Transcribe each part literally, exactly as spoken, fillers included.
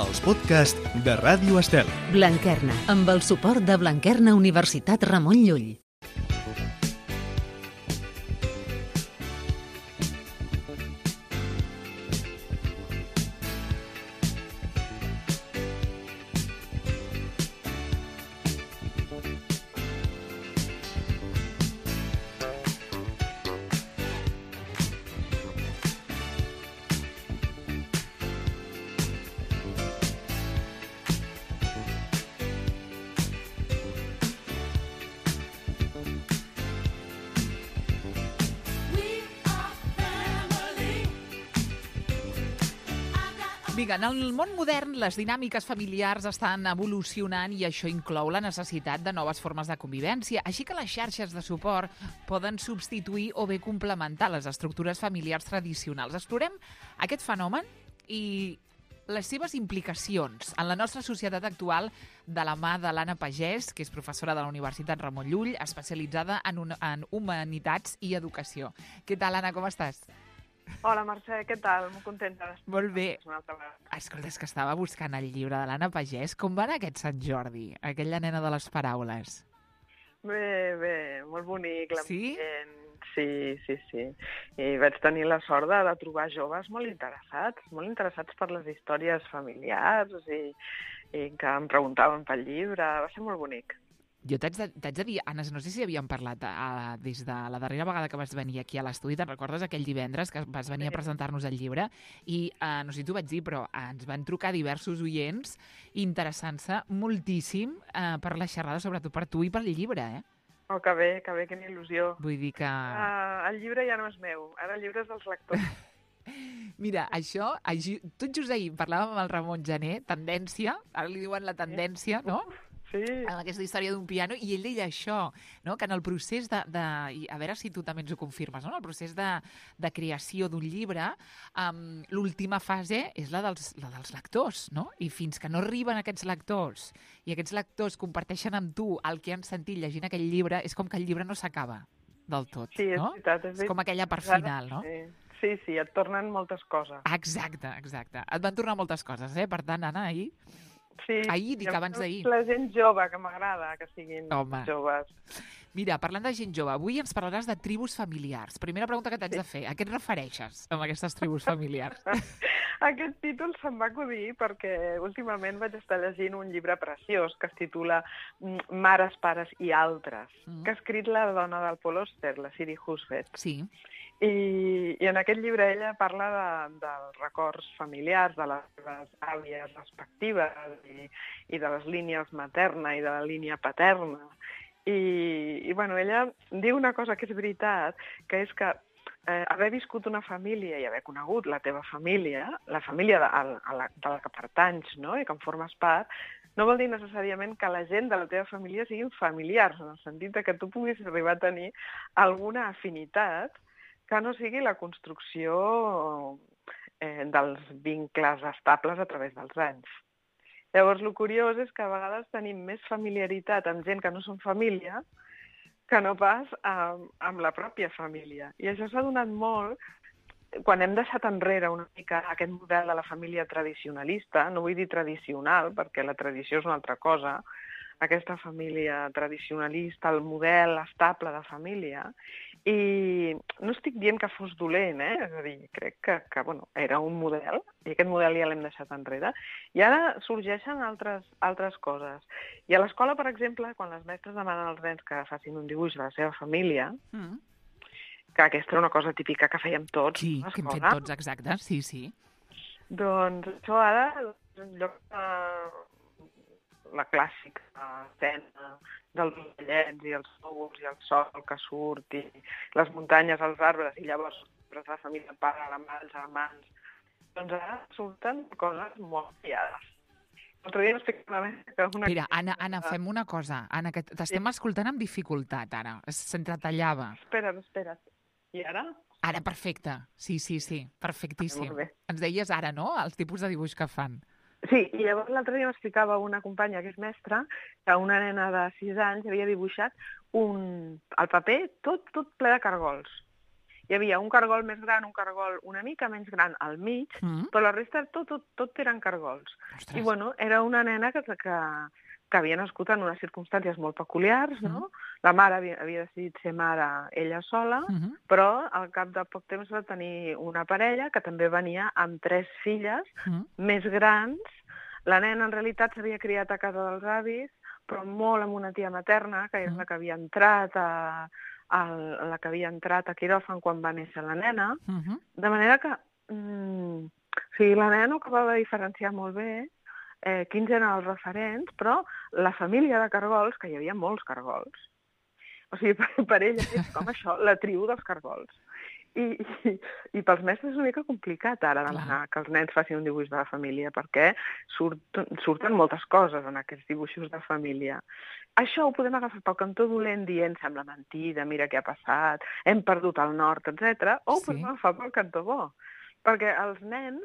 els podcasts de Ràdio Estel. Blanquerna, amb el suport de Blanquerna Universitat Ramon Llull. Vinga, en el món modern les dinàmiques familiars estan evolucionant i això inclou la necessitat de noves formes de convivència, així que les xarxes de suport poden substituir o bé complementar les estructures familiars tradicionals. Explorem aquest fenomen i les seves implicacions en la nostra societat actual de la mà de l'Anna Pagès, que és professora de la Universitat Ramon Llull, especialitzada en, un, en humanitats i educació. Què tal, Anna, com estàs? Hola, Mercè, què tal? Molt contenta d'estar. Molt bé. Escolta, és que estava buscant el llibre de l'Anna Pagès. Com va anar aquest Sant Jordi, aquella nena de les paraules? Bé, bé, molt bonic. Sí? Sí, sí, sí. I vaig tenir la sort de, de trobar joves molt interessats, molt interessats per les històries familiars i, i que em preguntaven pel llibre. Va ser molt bonic. Jo t'haig de, t'haig de dir, Anna, no sé si havíem parlat uh, des de la darrera vegada que vas venir aquí a l'estudi, te'n recordes aquell divendres que vas venir a presentar-nos el llibre? I uh, no sé si t'ho vaig dir, però uh, ens van trucar diversos oients interessant-se moltíssim uh, per la xerrada, sobretot per tu i pel llibre, eh? Oh, que bé, que bé, quina il·lusió. Vull dir que... Uh, el llibre ja no és meu, ara el llibre és dels lectors. Mira, això, tot just ahir parlàvem amb el Ramon Gené, tendència, ara li diuen la tendència, no? Sí. Amb aquesta història d'un piano, i ell deia això, no? Que en el procés de, de... A veure si tu també ens ho confirmes, no? En el procés de, de creació d'un llibre, um, l'última fase és la dels, la dels lectors, no? I fins que no arriben aquests lectors i aquests lectors comparteixen amb tu el que han sentit llegint aquell llibre, és com que el llibre no s'acaba del tot, sí, és no? veritat, és, és com aquella part final, no? Sí. Sí, sí, et tornen moltes coses. Exacte, exacte. Et van tornar moltes coses, eh? Per tant, Anna, ahir... Sí, ahir, dic abans d'ahir. La gent jove, que m'agrada que siguin Home. joves. Mira, parlant de gent jove, avui ens parlaràs de tribus familiars. Primera pregunta que t'haig sí. de fer. A què et refereixes amb aquestes tribus familiars? Aquest títol se'm va acudir perquè últimament vaig estar llegint un llibre preciós que es titula Mares, pares i altres, mm. que ha escrit la dona del Paul Auster, la Siri Husted. Sí. I, i en aquest llibre ella parla de, dels records familiars, de les seves àvies respectives i, i de les línies materna i de la línia paterna. I, i bueno, ella diu una cosa que és veritat, que és que eh, haver viscut una família i haver conegut la teva família, la família de, a, a la, de la que pertanys, no?, i que en formes part, no vol dir necessàriament que la gent de la teva família siguin familiars, en el sentit que tu puguis arribar a tenir alguna afinitat que no sigui la construcció eh, dels vincles estables a través dels anys. Llavors, el curiós és que a vegades tenim més familiaritat amb gent que no són família que no pas amb, amb la pròpia família. I això s'ha donat molt quan hem deixat enrere una mica aquest model de la família tradicionalista, no vull dir tradicional, perquè la tradició és una altra cosa, aquesta família tradicionalista, el model estable de família, i no estic dient que fos dolent, eh? És a dir, crec que, que bueno, era un model, i aquest model ja l'hem deixat enrere, i ara sorgeixen altres, altres coses. I a l'escola, per exemple, quan les mestres demanen als nens que facin un dibuix de la seva família, mm. que aquesta era una cosa típica que fèiem tots. Sí, que hem fet tots, exacte, sí, sí. Doncs això ara, en lloc de la clàssica escena dels ocellets i els núvols i el sol que surt i les muntanyes, els arbres, i llavors la família, el pare, la mare, els germans, doncs ara surten coses molt variades. L'altre dia m'explicava que una... Mira, Anna, Anna, fem una cosa. Anna, que t'estem sí. escoltant amb dificultat, ara. S'entretallava. Espera't, espera't. I ara? Ara, perfecte. Sí, sí, sí. Perfectíssim. Ens deies ara, no?, els tipus de dibuix que fan. Sí, i llavors l'altre dia m'explicava una companya que és mestra que una nena de sis anys havia dibuixat un, el paper tot, tot ple de cargols. hi havia un cargol més gran, un cargol una mica menys gran al mig, Mm. però la resta tot, tot, tot eren cargols. Ostres. I bueno, era una nena que, que, que havia nascut en unes circumstàncies molt peculiars, no? La mare havia, havia decidit ser mare ella sola, Mhm. però al cap de poc temps va tenir una parella que també venia amb tres filles Mm. més grans. La nena en realitat s'havia criat a casa dels avis, però molt amb una tia materna, que és Mm. la que havia entrat a, a la que havia entrat a quiròfan quan va néixer la nena, Mhm. de manera que mm, o sigui, la nena no acabava de diferenciar molt bé eh, quins eren els referents, però la família de cargols, que hi havia molts cargols, o sigui, per, per ella és com això, la tribu dels cargols. I, i, i pels mestres és una mica complicat ara demanar que els nens facin un dibuix de la família, perquè surt, surten moltes coses en aquests dibuixos de família. Això ho podem agafar pel cantó dolent dient sembla mentida, mira què ha passat, hem perdut el nord, etcètera, o ho Sí. podem agafar pel cantó bo, perquè els nens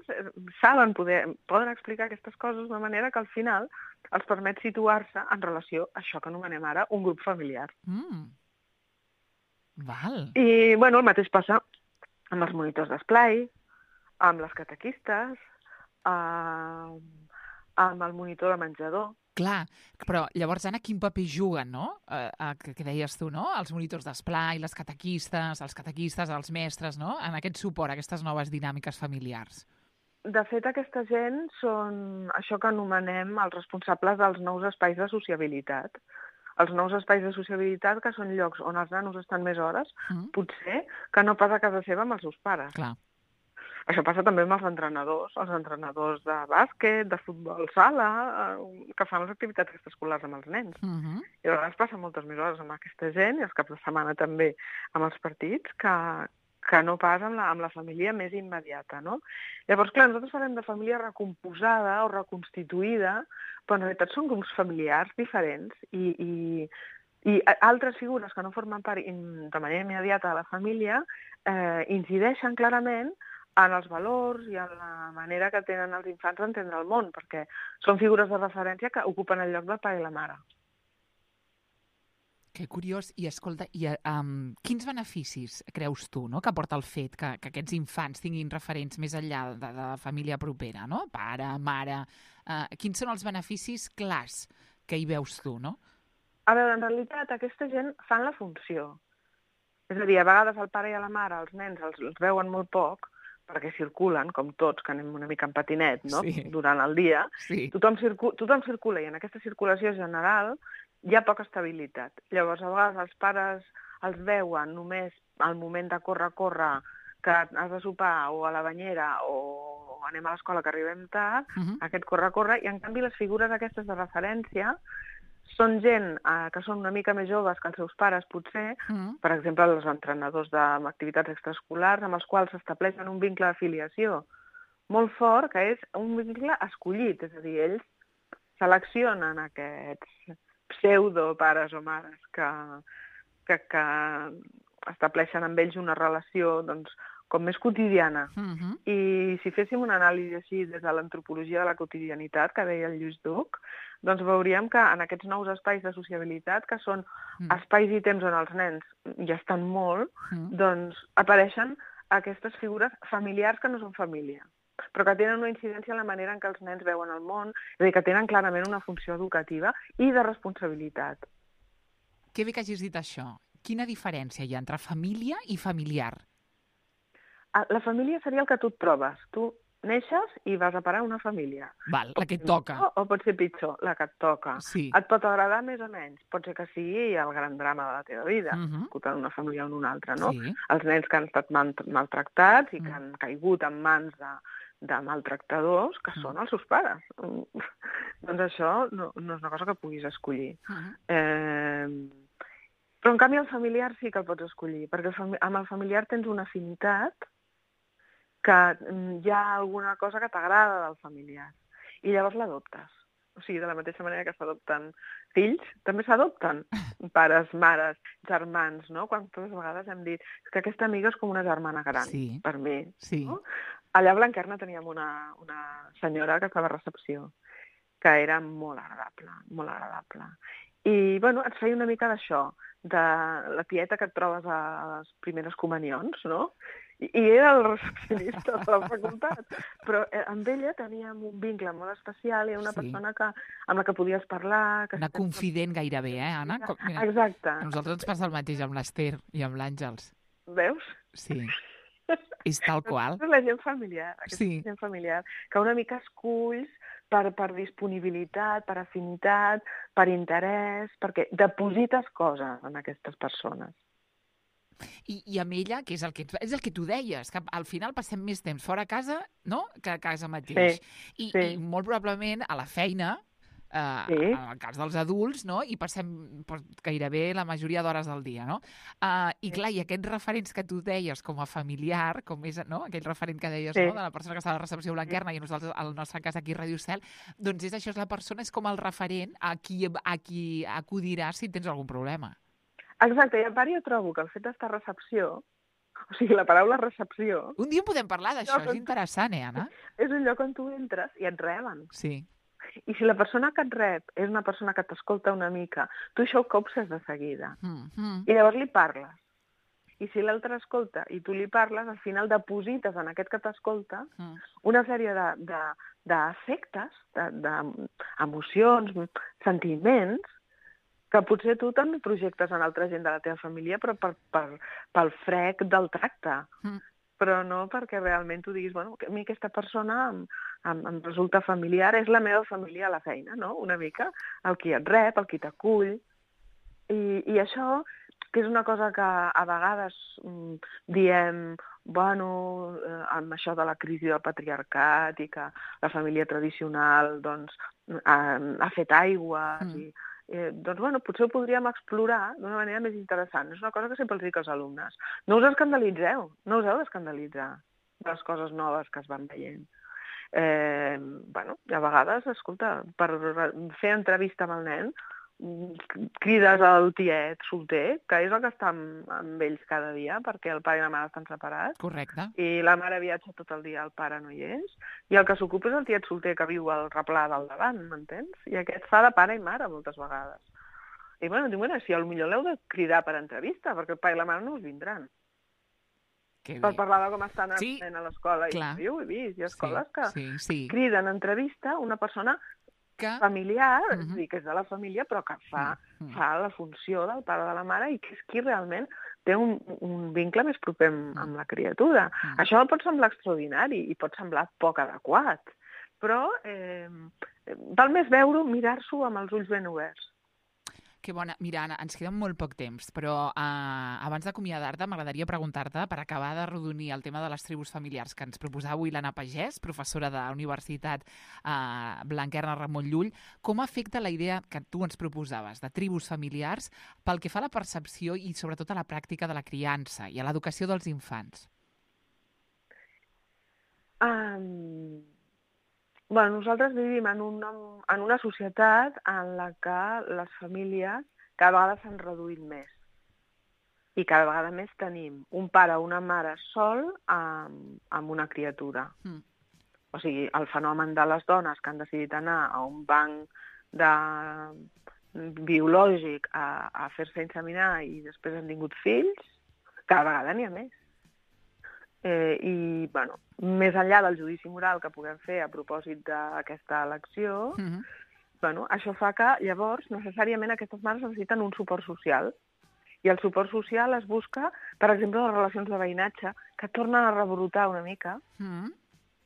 saben poder, poden explicar aquestes coses d'una manera que al final els permet situar-se en relació a això que anomenem ara un grup familiar. Mm. Val. I, bueno, el mateix passa amb els monitors d'esplai, amb les catequistes, amb, amb el monitor de menjador. Clar, però llavors, Anna, quin paper juguen, no? Eh, eh, que, que deies tu, no? Els monitors d'esplai, les catequistes, els catequistes, els mestres, no? En aquest suport a aquestes noves dinàmiques familiars. De fet, aquesta gent són això que anomenem els responsables dels nous espais de sociabilitat. Els nous espais de sociabilitat que són llocs on els nanos estan més hores, Mm. potser que no pas a casa seva amb els seus pares. Clar. Això passa també amb els entrenadors, els entrenadors de bàsquet, de futbol sala, eh, que fan les activitats extraescolars amb els nens. Mhm. I a vegades passen moltes més hores amb aquesta gent, i els caps de setmana també amb els partits, que, que no pas amb la, amb la família més immediata, no? Llavors, clar, nosaltres parlem de família recomposada o reconstituïda, però en realitat són grups familiars diferents i, i, i altres figures que no formen part in, de manera immediata de la família eh, incideixen clarament en els valors i en la manera que tenen els infants d'entendre el món, perquè són figures de referència que ocupen el lloc del pare i la mare. Que curiós. I escolta, i, um, quins beneficis creus tu, no?, que porta el fet que, que aquests infants tinguin referents més enllà de, de la família propera, no? Pare, mare... Uh, quins són els beneficis clars que hi veus tu, no? A veure, en realitat, aquesta gent fan la funció. És a dir, a vegades el pare i la mare, els nens, els, els veuen molt poc, perquè circulen, com tots, que anem una mica en patinet, no?, Sí. durant el dia. Sí. Tothom, circu tothom circula, i en aquesta circulació general hi ha poca estabilitat. Llavors, a vegades els pares els veuen només al moment de córrer, córrer, que has de sopar o a la banyera o anem a l'escola que arribem tard, Mhm. aquest córrer, córrer, i en canvi les figures aquestes de referència són gent eh, que són una mica més joves que els seus pares, potser, Mhm. per exemple, els entrenadors d'activitats extraescolars, amb els quals s'estableixen un vincle d'afiliació molt fort, que és un vincle escollit, és a dir, ells seleccionen aquests pseudo-pares o mares que, que, que estableixen amb ells una relació, doncs, com més quotidiana. Mhm. I si féssim una anàlisi així des de l'antropologia de la quotidianitat, que deia el Lluís Duc, doncs veuríem que en aquests nous espais de sociabilitat, que són Mm. espais i temps on els nens ja estan molt, Mm. doncs apareixen aquestes figures familiars que no són família, però que tenen una incidència en la manera en què els nens veuen el món, és a dir, que tenen clarament una funció educativa i de responsabilitat. Que bé que hagis dit això. Quina diferència hi ha entre família i familiar? Ah, La família seria el que tu et trobes. Tu neixes i vas a parar a una família. Val, la que et Pot ser toca. millor O pot ser pitjor, la que et toca. Sí. Et pot agradar més o menys. Pot ser que sigui el gran drama de la teva vida, Mhm. nascut en una família o en una altra, no? Sí. Els nens que han estat mal maltractats i que Mm. han caigut en mans de, de maltractadors, que Mm. són els seus pares. Doncs això no, no és una cosa que puguis escollir. Mhm. Eh, però, en canvi, el familiar sí que el pots escollir, perquè el fami- amb el familiar tens una afinitat que mm, hi ha alguna cosa que t'agrada del familiar. I llavors l'adoptes. O sigui, de la mateixa manera que s'adopten fills, també s'adopten pares, mares, germans, no? Quantes vegades hem dit que aquesta amiga és com una germana gran, Sí. per mi. Sí. No? Allà a Blanquerna teníem una, una senyora que estava a recepció, que era molt agradable, molt agradable. I, bueno, et feia una mica d'això, de la tieta que et trobes a les primeres comunions, no? I, i era el recepcionista de la facultat. Però eh, amb ella teníem un vincle molt especial i una Sí. persona que, amb la que podies parlar... Que Una sempre- confident gairebé, eh, Anna? Com, mira, Exacte. a nosaltres ens passa el mateix amb l'Ester i amb l'Àngels. Veus? Sí, és tal qual. Aquesta és la gent familiar, aquesta Sí. gent familiar, que una mica esculls per, per disponibilitat, per afinitat, per interès, perquè deposites coses en aquestes persones. I, I amb ella, que és el que, és el que tu deies, que al final passem més temps fora a casa, no?, que a casa mateix. Sí, I, sí. I molt probablement a la feina, eh, Sí. en el cas dels adults, no?, i passem pues, gairebé la majoria d'hores del dia, no? Uh, I Sí. clar, i aquests referents que tu deies com a familiar, com és, no?, aquell referent que deies, Sí. no?, de la persona que està a la recepció blanquerna i a nosaltres, al nostre cas aquí a Ràdio Cel, doncs és això, és la persona, és com el referent a qui, a qui acudiràs si tens algun problema. Exacte, i a part jo trobo que el fet d'estar a recepció, o sigui, la paraula recepció, Un dia en podem parlar d'això, No, és però- interessant, eh, Anna? és un lloc on tu entres i et reben. Sí. I si la persona que et rep és una persona que t'escolta una mica, tu això ho copses de seguida. Mm -hmm. I llavors li parles. I si l'altre escolta i tu li parles, al final deposites en aquest que t'escolta Mm. una sèrie de, de, d'efectes, de, d'emocions, sentiments, que potser tu també projectes en altra gent de la teva família, però per, per, pel frec del tracte. Mm. Però no perquè realment tu diguis, bueno, a mi aquesta persona em, em, em resulta familiar, és la meva família a la feina, no?, una mica, el qui et rep, el qui t'acull. I, I això, que és una cosa que a vegades mm, diem, bueno, eh, amb això de la crisi del patriarcat i que la família tradicional doncs, ha, ha fet aigües Mm. i Eh, doncs, bueno, potser ho podríem explorar d'una manera més interessant. És una cosa que sempre els dic als alumnes. No us escandalitzeu, no us heu d'escandalitzar de les coses noves que es van veient. Eh, bueno, a vegades, escolta, per fer entrevista amb el nen, crides al tiet solter, que és el que està amb, amb ells cada dia, perquè el pare i la mare estan separats, Correcte. i la mare viatja tot el dia, el pare no hi és, i el que s'ocupa és el tiet solter que viu al replà del davant, m'entens? I aquest fa de pare i mare moltes vegades. I bueno, dic, bueno, si potser l'heu de cridar per entrevista, perquè el pare i la mare no us vindran, Que per bé. parlar de com està anant Sí, a l'escola. clar. I jo ho he vist, hi ha escoles sí, que sí, sí. criden a entrevista una persona Que... familiar, és Mhm. a dir, que és de la família, però que fa, Mm. fa la funció del pare de la mare i que és qui realment té un, un vincle més proper amb, amb la criatura. Mm. Això pot semblar extraordinari i pot semblar poc adequat, però eh, val més veure-ho, mirar-s'ho amb els ulls ben oberts. Que bona. Mira, Anna, ens queda molt poc temps, però uh, abans d'acomiadar-te m'agradaria preguntar-te, per acabar de rodonir el tema de les tribus familiars que ens proposava avui l'Anna Pagès, professora de la Universitat uh, Blanquerna Ramon Llull, com afecta la idea que tu ens proposaves de tribus familiars pel que fa a la percepció i sobretot a la pràctica de la criança i a l'educació dels infants? Um, bueno, nosaltres vivim en una, en una societat en la que les famílies cada vegada s'han reduït més. I cada vegada més tenim un pare o una mare sol amb, amb una criatura. Mm. O sigui, el fenomen de les dones que han decidit anar a un banc de biològic a, a fer-se inseminar i després han tingut fills, cada vegada n'hi ha més. Eh, I, bueno, més enllà del judici moral que puguem fer a propòsit d'aquesta elecció, Mm -hmm. bueno, això fa que, llavors, necessàriament aquestes mares necessiten un suport social. I el suport social es busca, per exemple, les relacions de veïnatge, que tornen a rebrotar una mica, Mm -hmm.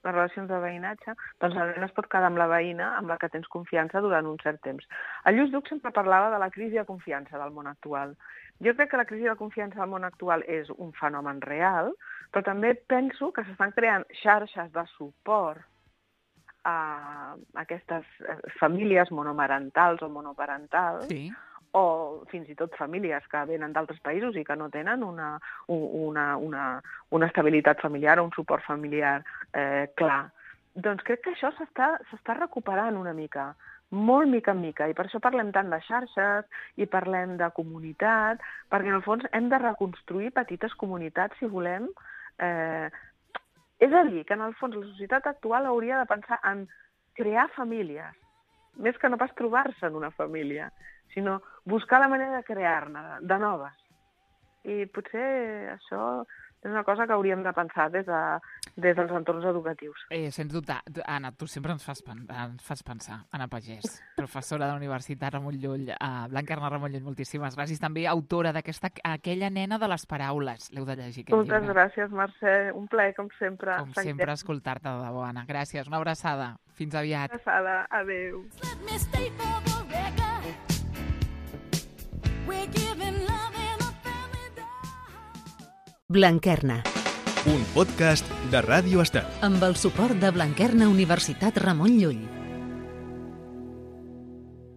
les relacions de veïnatge, doncs el nen es pot quedar amb la veïna amb la que tens confiança durant un cert temps. El Lluís Duc sempre parlava de la crisi de confiança del món actual. Jo crec que la crisi de confiança del món actual és un fenomen real, però també penso que s'estan creant xarxes de suport a aquestes famílies monomarentals o monoparentals, Sí. o fins i tot famílies que venen d'altres països i que no tenen una, una, una, una estabilitat familiar o un suport familiar eh, clar. Doncs crec que això s'està s'està recuperant una mica, molt mica en mica, i per això parlem tant de xarxes i parlem de comunitat, perquè en el fons hem de reconstruir petites comunitats si volem. Eh, és a dir, que en el fons la societat actual hauria de pensar en crear famílies, més que no pas trobar-se en una família, sinó buscar la manera de crear-ne, de noves. I potser això és una cosa que hauríem de pensar des, de, des dels entorns educatius. Eh, sens dubte. Anna, tu sempre ens fas, ens fas pensar. Anna Pagès, professora de la Universitat Ramon Llull. Uh, Blanca Ramon Llull, moltíssimes gràcies. També autora d'aquesta Aquella nena de les paraules. L'heu de llegir, aquest Moltes llibre. gràcies, Mercè. Un plaer, com sempre. Com sempre, escoltar-te de debò, Anna. Gràcies. Una abraçada. Fins aviat. Una abraçada. Adéu. Blanquerna, Un podcast de Ràdio Estel. amb el suport de Blanquerna Universitat Ramon Llull.